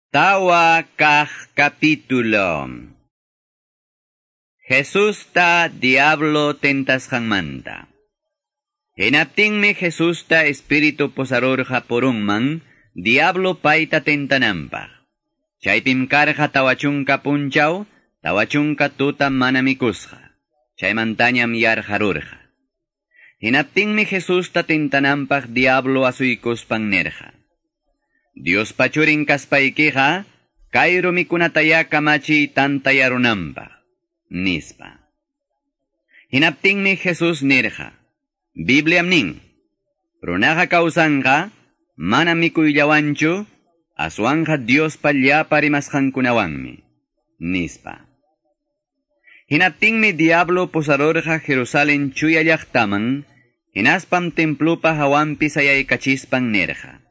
Tawa kaq capítulo. Jesusta diablo tentasqanmanta. Hinaptinmi Jesusta espíritu pusarurqa purunman, diablo payta tentananpaq. Chaypim karqa 40 punchaw, 40 tuta mana mikusqa. Chaymantañam yarqarurqa. Hinaptinmi Jesusta tentananpaq diablo asuykuspan nirqa: Diospa churin kaspaykiqa, kay rumikunataya kamachiy tantayarunanpaq, nispa. Hinaptinmi Jesús nirqa: Bibliam nin, runaqa kawsanqa, mana mikuyllawanchu, aswanqa Diospa llapa rimasqankunawanmi, nispa. Hinaptinmi diablo pusarurqa Jerusalén chuya llaqtaman, hinaspam templupa hawanpi sayaykachispan nirqa: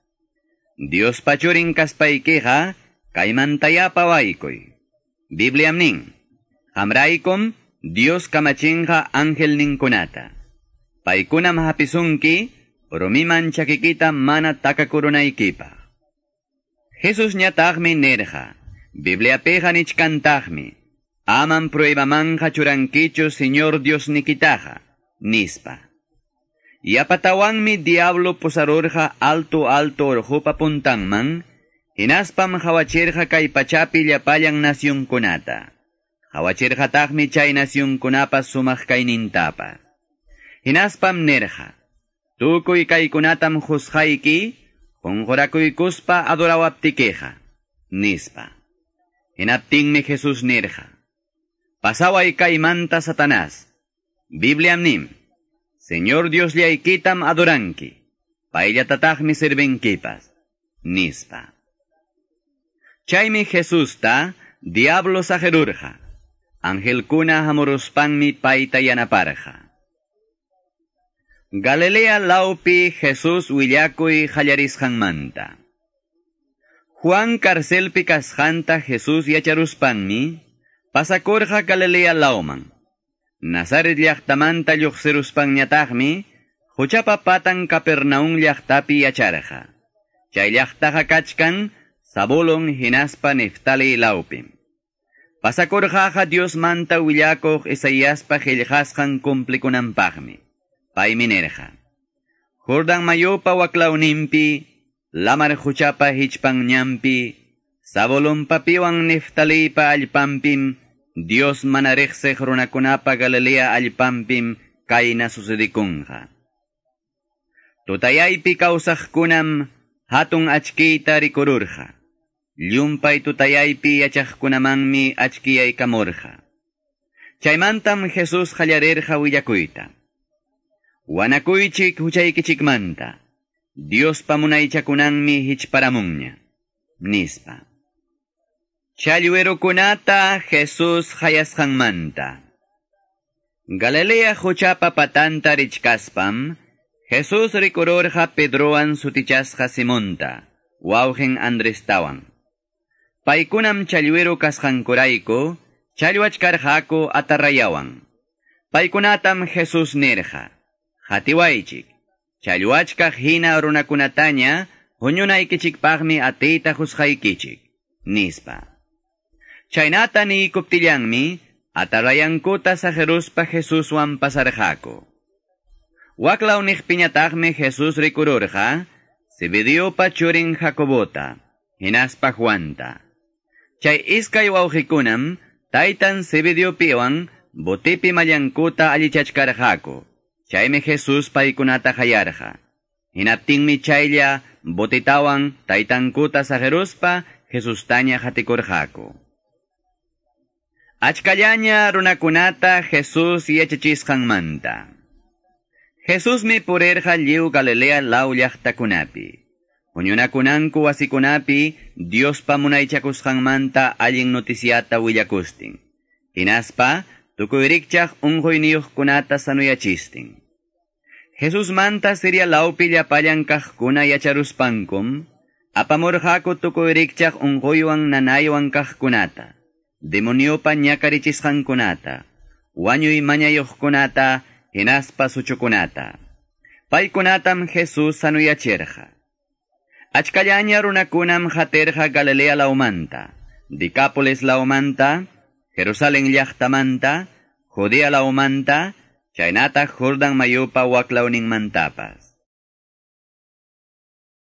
Diospa churin kaspaykiqa, kaymantaya pawaykuy. Bibliam nin, qamraykum Dios kamachinqa angelninkunata. Paykunam hapisunki, rumiman chakikita mana takakurunaykipaq. Jesusñataqmi nirqa: Bibliapiqa nichkantaqmi, amam pruebamanja churankichu Señor Diosnikitaqa, nispa. Yapatawanmi diablo pusarurqa alto alto orqopa puntanman, hinaspam qhawachirqa kay pachapi llapallan nacionkunata. Qhawachirqataqmi chay nacionkunapa sumaq kaynintapas. Hinaspam nirqa: Tukuy kaykunatam qusqayki, qunqurakuykuspa adorawaptikiqa, nispa. Hinaptinmi Jesús nirqa: Pasaway kaymanta Satanás. Bibliam nin, Señor Diosllaykitam adoranki, payllatataqmi sirvinkipas, nispa. Chaymi Jesusta diablo saqirurqa, angelkuna hamuruspanmi payta yanaparqa. Galilea lawpi Jesús willakuy qallarisqanmanta. Juan karcelpi kasqanta Jesús yacharuspanmi, pasakurqa Galilea lawman. Nazaret llaqtamanta lluqsiruspanñataqmi, quchapa patan Capernaum llaqtapi yacharqa. Chay llaqtaqa kachkan Zabulón hinaspa Neftali lawpim. Pasakurqaqa Diosmanta willakuq Isaiaspa qillqasqan cumplikunanpaqmi. Paymi nirqa: Jordán mayupa waklawninpi, lamar quchapa hichpanñanpi, Zabulonpapiwan Neftalipa allpanpim, Dios mana riqsiq runakunapa Galilea allpanpim kayna sucedikunqa. Tutayaypi kawsaqkunam hatun achkiyta rikururqa. Llumpay tutayaypi yachaqkunamanmi achkiyaykamurqa. Chaymantam Jesús qallarirqa willakuyta: Wanakuychik huchaykichikmanta, Diospa munaychakunanmi hichparamunña, nispa. Challwirukunata Jesús qayasqanmanta. Galilea quchapa patanta richkaspam, Jesús rikururqa Pedrowan sutichasqa Simonta, wawqin Andrestawan. Paykunam challwiru kasqankurayku, challwachkarqaku atarrayawan. Paykunatam Jesús nirqa: Qatiwaychik, challwachkaq hina runakunataña huñunaykichikpaqmi atiyta qusqaykichik, nispa. Chaynata niykuptillanmi, atarrayankuta saqiruspa Jesuswan pasarqaku. Waklaw niqpiñataqmi Jesús rikururqa Zebediopa churin Jacobota, hinaspa Juanta. Chay iskay wawqikunam taytan Zebediopiwan botipi mallankuta allichachkarqaku. Chaymi Jesús paykunata qayarqa. Hinaptinmi chaylla botitawan taytankuta saqiruspa Jesustaña qatikurqaku. Achkallaña runakunata Jesús yachachisqanmanta. Jesusmi purirqa lliw Galilea law llaqtakunapi. Huñunakunanku wasikunapi Diospa munaychakusqanmanta allin noticiata willakustin. Hinaspa tukuy rikchaq unquyniyuqkunata sanuyachistin. Jesusmanta Siria lawpi llapallan kaqkuna yacharuspankum, apamurqaku tukuy rikchaq unquywan nanaywan kaqkunata, demoniopa ñakarichisqankunata, wañuy mañayuqkunata, hinaspa suchukunata. Paykunatam Jesús sanuyachirqa. Achkallaña runakunam qatirqa Galilea lawmanta, Decápolis lawmanta, Jerusalén llaqtamanta, Judea lawmanta, chaynataq Jordan mayupa waklawninmantapas.